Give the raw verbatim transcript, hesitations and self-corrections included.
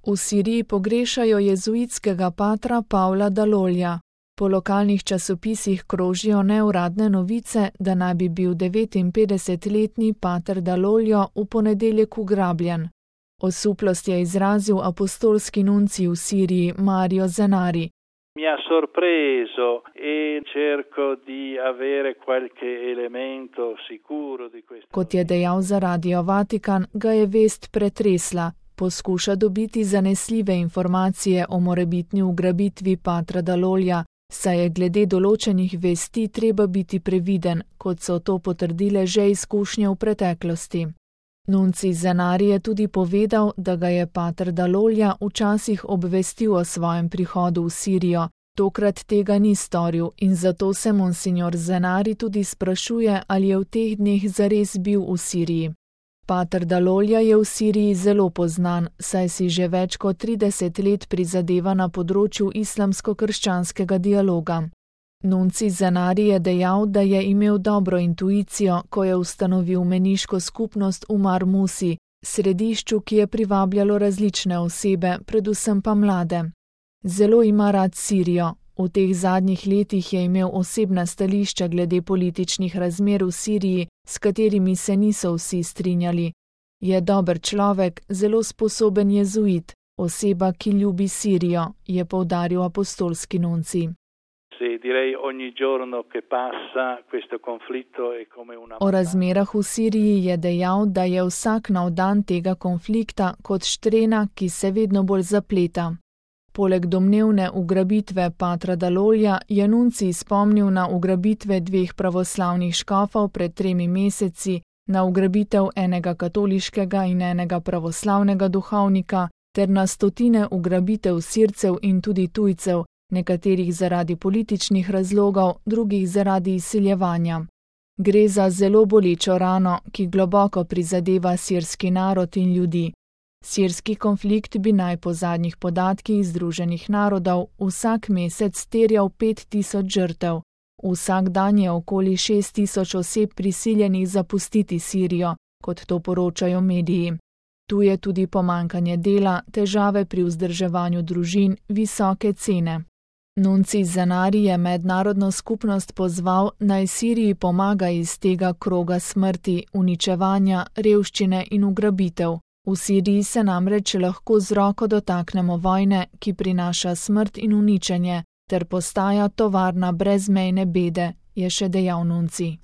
V Siriji pogrešajo jezuitskega patra Pavla Dalolja. Po lokalnih časopisih krožijo neuradne novice, da naj bi bil devetinpetdesetletni pater Daloljo v ponedeljek ugrabljen. Osuplost je izrazil apostolski nuncij v Siriji Mario Zenari. Mi ha sorpreso e cerco di avere qualche elemento sicuro di questo. Kot je dejal za Radio Vatikan, ga je vest pretresla. Poskuša dobiti zanesljive informacije o morebitni ugrabitvi patra Dalolja, saj je glede določenih vesti treba biti previden, kot so to potrdile že izkušnje v preteklosti. Nuncij Zenari je tudi povedal, da ga je pater Dalolja včasih obvestil o svojem prihodu v Sirijo, tokrat tega ni storil in zato se monsignor Zenari tudi sprašuje, ali je v teh dneh zares bil v Siriji. Pater Dalolja je v Siriji zelo poznan, saj si že več kot trideset let prizadeva na področju islamsko-krščanskega dialoga. Nuncij Zenari je dejal, da je imel dobro intuicijo, ko je ustanovil meniško skupnost v Marmusi, središču, ki je privabljalo različne osebe, predvsem pa mlade. Zelo ima rad Sirijo. V teh zadnjih letih je imel osebna stališča glede političnih razmer v Siriji, s katerimi se niso vsi strinjali. Je dober človek, zelo sposoben jezuit, oseba, ki ljubi Sirijo, je poudaril apostolski nuncij. O razmerah v Siriji je dejal, da je vsak nov dan tega konflikta kot štrena, ki se vedno bolj zapleta. Poleg domnevne ugrabitve patra Dalolja je nuncij spomnil na ugrabitve dveh pravoslavnih škofov pred tremi meseci, na ugrabitev enega katoliškega in enega pravoslavnega duhovnika ter na stotine ugrabitev Sircev in tudi tujcev, nekaterih zaradi političnih razlogov, drugih zaradi izsiljevanja. Gre za zelo bolečo rano, ki globoko prizadeva sirski narod in ljudi. Sirski konflikt bi naj po zadnjih podatkih Združenih narodov vsak mesec terjal pet tisoč žrtev. Vsak dan je okoli šest tisoč oseb prisiljenih zapustiti Sirijo, kot to poročajo mediji. Tu je tudi pomanjkanje dela, težave pri vzdrževanju družin, visoke cene. Nuncij Zenari je mednarodno skupnost pozval, naj Siriji pomaga iz tega kroga smrti, uničevanja, revščine in ugrabitev. V Siriji se namreč lahko z roko dotaknemo vojne, ki prinaša smrt in uničenje, ter postaja tovarna brezmejne bede, je še dejal nuncij.